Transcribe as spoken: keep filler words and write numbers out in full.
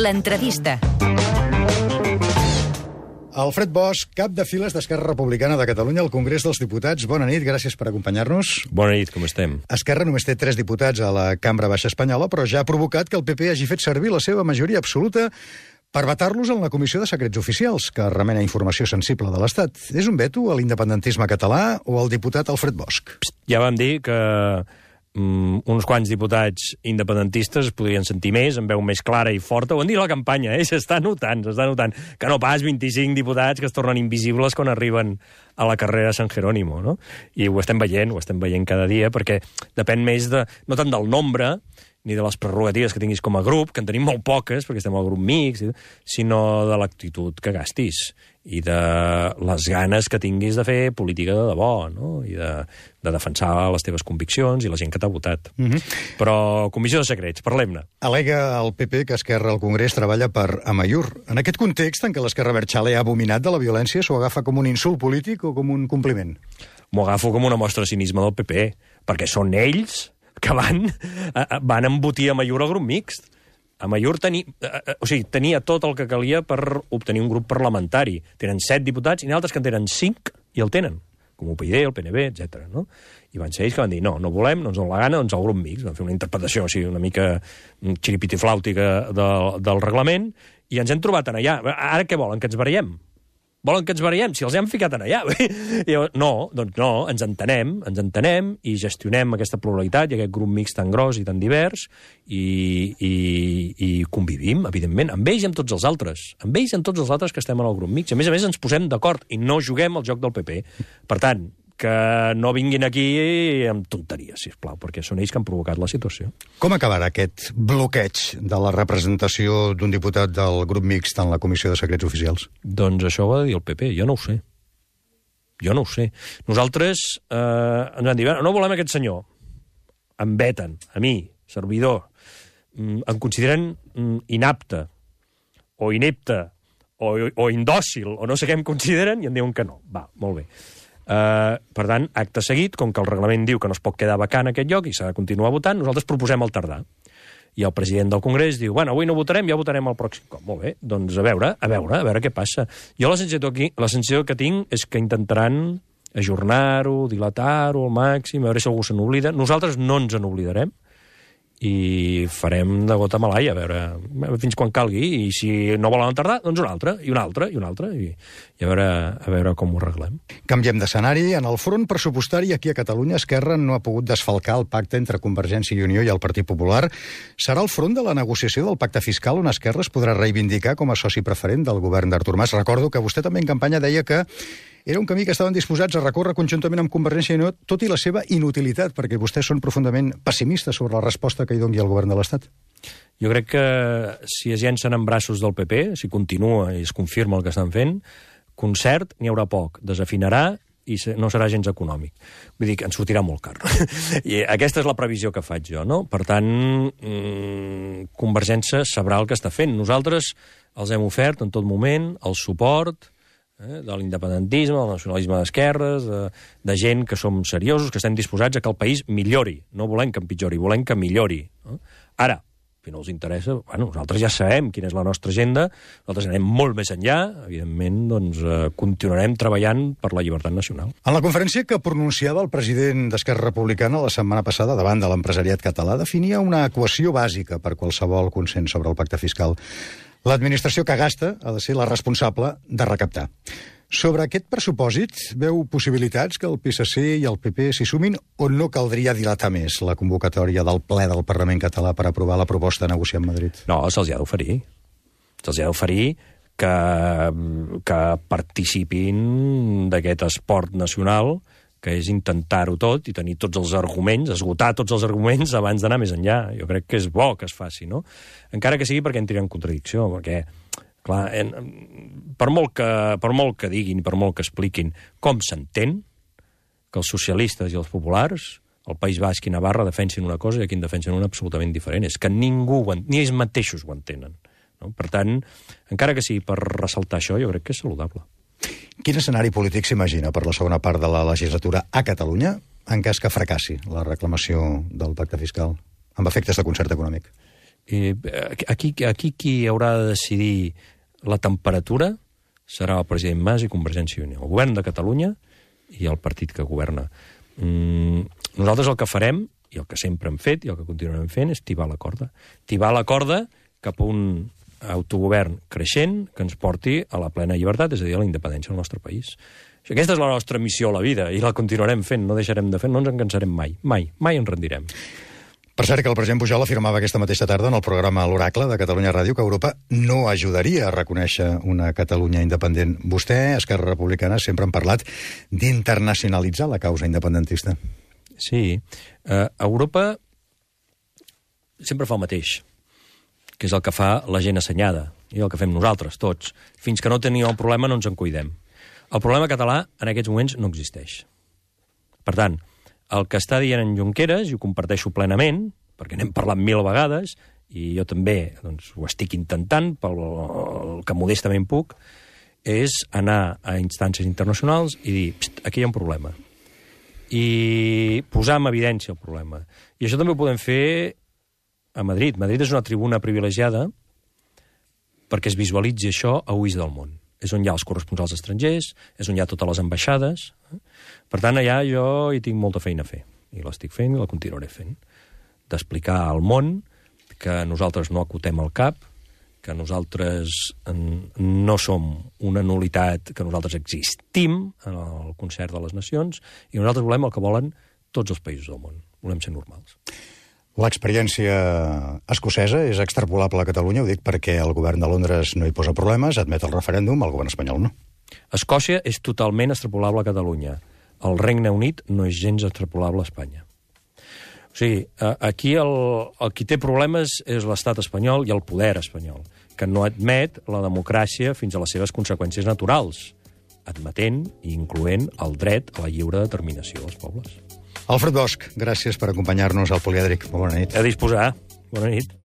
L'entrevista. Alfred Bosch, cap de files d'Esquerra Republicana de Catalunya al Congrés dels Diputats. Bona nit, gràcies per acompanyar-nos. Bona nit, com estem? Esquerra només té tres diputats a la Cambra Baixa Espanyola, però ja ha provocat que el P P hagi fet servir la seva majoria absoluta per vetar-los en la Comissió de Secrets Oficials, que remena informació sensible de l'Estat. És un veto a l'independentisme català o al diputat Alfred Bosch? Ja vam dir que mm, uns quants diputats independentistes es podrien sentir més, amb veu més clara i forta. Ho han dit a la campanya, eh? S'està notant, s'està notant. Que no pas vint-i-cinc diputats que es tornen invisibles quan arriben a la carrera San Jerónimo, no? I ho estem veient, ho estem veient cada dia, perquè depèn més de, no tant del nombre, ni de les prerrogatives que tinguis com a grup, que en tenim molt poques, perquè estem al grup mixt, sinó de l'actitud que gastis i de les ganes que tinguis de fer política de debò, no? I de, de defensar les teves conviccions i la gent que t'ha votat. Mm-hmm. Però, Comissió de Secrets, parlem-ne. Al·lega el P P que Esquerra al Congrés treballa per Amaiur. En aquest context en què l'Esquerra Abertzale ha abominat de la violència, s'ho agafa com un insult polític o com un compliment? M'ho agafo com una mostra de cinisme del P P, perquè són ells que van, van embotir Amaiur al grup mixt. Amaiur teni, o sigui, tenia tot el que calia per obtenir un grup parlamentari. Tenen set diputats i n'altres que en tenen cinc i el tenen, com U P y D, el P N V, etcètera. No? I van ser ells que van dir, no, no volem, no ens dona la gana, doncs el grup mixt. Van fer una interpretació, o sigui, una mica xiripitiflàutica del, del reglament, i ens hem trobat en allà. Ara què volen, que ens barallem? Volen que ens barallem? Si els hem ficat en allà. I no, doncs no, ens entenem, ens entenem i gestionem aquesta pluralitat i aquest grup mixt tan gros i tan divers i, i, i convivim, evidentment, amb ells i amb tots els altres. Amb ells i amb tots els altres que estem en el grup mixt. A més a més, ens posem d'acord i no juguem al joc del P P. Per tant, que no vinguin aquí amb tonteries, sisplau, perquè són ells que han provocat la situació. Com acabarà aquest bloqueig de la representació d'un diputat del grup mixt en la Comissió de Secrets Oficials? Doncs això ho ha de dir el P P, jo no ho sé. Jo no ho sé. Nosaltres eh, ens van dir, no volem aquest senyor. Em veten, a mi, servidor, em consideren inapte, o inepte, o, o indòcil, o no sé què em consideren, i em diuen que no. Va, molt bé. Uh, per tant, acte seguit, com que el reglament diu que no es pot quedar vacant aquest lloc i s'ha de continuar votant, nosaltres proposem el tardar. I el president del Congrés diu, bueno, avui no votarem, ja votarem el pròxim cop. Molt bé, doncs a veure, a veure, a veure què passa. Jo la sensació, aquí, la sensació que tinc és que intentaran ajornar-ho, dilatar-ho al màxim, a veure si algú se n'oblida. Nosaltres no ens n'oblidarem i farem de gota malaia, a veure fins quan calgui, i si no volen tardar, doncs un altre, i un altre, i un altre, i, i a, veure, a veure com ho arreglem. Canviem d'escenari. En el front pressupostari aquí a Catalunya, Esquerra no ha pogut desfalcar el pacte entre Convergència i Unió i el Partit Popular. Serà el front de la negociació del pacte fiscal on Esquerra es podrà reivindicar com a soci preferent del govern d'Artur Mas. Recordo que vostè també en campanya deia que era un camí que estaven disposats a recórrer conjuntament amb Convergència i Unió, tot i la seva inutilitat, perquè vostès són profundament pessimistes sobre la resposta que hi doni el govern de l'Estat. Jo crec que si es llencen en braços del P P, si continua i es confirma el que estan fent, concert n'hi haurà poc, desafinarà i no serà gens econòmic. Vull dir que ens sortirà molt car. I aquesta és la previsió que faig jo, no? Per tant, mmm, Convergència sabrà el que està fent. Nosaltres els hem ofert en tot moment el suport eh, de l'independentisme, del nacionalisme d'esquerres, de, de gent que som seriosos, que estem disposats a que el país millori. No volem que empitjori, volem que millori. No? Ara, si no els interessa, bueno, nosaltres ja sabem quina és la nostra agenda, nosaltres anem molt més enllà, evidentment, doncs, eh, continuarem treballant per la llibertat nacional. En la conferència que pronunciava el president d'Esquerra Republicana la setmana passada davant de l'empresariat català, definia una equació bàsica per qualsevol consens sobre el pacte fiscal. L'administració que gasta ha de ser la responsable de recaptar. Sobre aquest pressupòsit, veu possibilitats que el P S C i el P P s'hi sumin o no caldria dilatar més la convocatòria del ple del Parlament català per aprovar la proposta a negociar amb Madrid? No, se'ls ha d'oferir. Se'ls ha d'oferir que, que participin d'aquest esport nacional, que és intentar-ho tot i tenir tots els arguments, esgotar tots els arguments abans d'anar més enllà. Jo crec que és bo que es faci, no? Encara que sigui perquè entri en contradicció, perquè clar, en, per, molt que, per molt que diguin, per molt que expliquin com s'entén que els socialistes i els populars, el País Basc i Navarra, defensin una cosa i aquí en defensen una absolutament diferent. És que ningú, ni ells mateixos ho entenen. No? Per tant, encara que sigui per ressaltar això, jo crec que és saludable. Quin escenari polític s'imagina per la segona part de la legislatura a Catalunya en cas que fracassi la reclamació del pacte fiscal amb efectes de concert econòmic? I aquí, aquí qui haurà de decidir la temperatura serà el president Mas i Convergència i Unió, el govern de Catalunya i el partit que governa. Mm, nosaltres el que farem, i el que sempre hem fet i el que continuarem fent, és tibar la corda. Tibar la corda cap a un autogovern creixent que ens porti a la plena llibertat, és a dir, a la independència del nostre país. Aquesta és la nostra missió a la vida i la continuarem fent, no deixarem de fer, no ens en cansarem mai, mai, mai ens rendirem. Per cert, que el president Pujol afirmava aquesta mateixa tarda en el programa L'Oracle de Catalunya Ràdio que Europa no ajudaria a reconèixer una Catalunya independent. Vostè, Esquerra Republicana, sempre han parlat d'internacionalitzar la causa independentista. Sí. Uh, Europa sempre fa el mateix, que és el que fa la gent assenyada, i el que fem nosaltres, tots. Fins que no tenim el problema no ens en cuidem. El problema català en aquests moments no existeix. Per tant, el que està dient en Junqueras, i ho comparteixo plenament, perquè n'hem parlat mil vegades, i jo també doncs, ho estic intentant, pel que modestament puc, és anar a instàncies internacionals i dir, aquí hi ha un problema. I posar en evidència el problema. I això també ho podem fer a Madrid. Madrid és una tribuna privilegiada perquè es visualitzi això a ulls del món. És on hi ha els corresponsals estrangers, és on hi ha totes les ambaixades. Per tant, allà jo hi tinc molta feina a fer. I l'estic fent i la continuaré fent. D'explicar al món que nosaltres no acotem el cap, que nosaltres no som una nul·litat, que nosaltres existim en el concert de les nacions i nosaltres volem el que volen tots els països del món. Volem ser normals. L'experiència escocesa és extrapolable a Catalunya, ho dic perquè el govern de Londres no hi posa problemes, admet el referèndum, el govern espanyol no. Escòcia és totalment extrapolable a Catalunya. El Regne Unit no és gens extrapolable a Espanya. O sigui, aquí el, el qui té problemes és l'estat espanyol i el poder espanyol, que no admet la democràcia fins a les seves conseqüències naturals, admetent i incloent el dret a la lliure determinació dels pobles. Alfred Bosch, gràcies per acompanyar-nos al Polièdric. Bona nit. A disposar. Bona nit.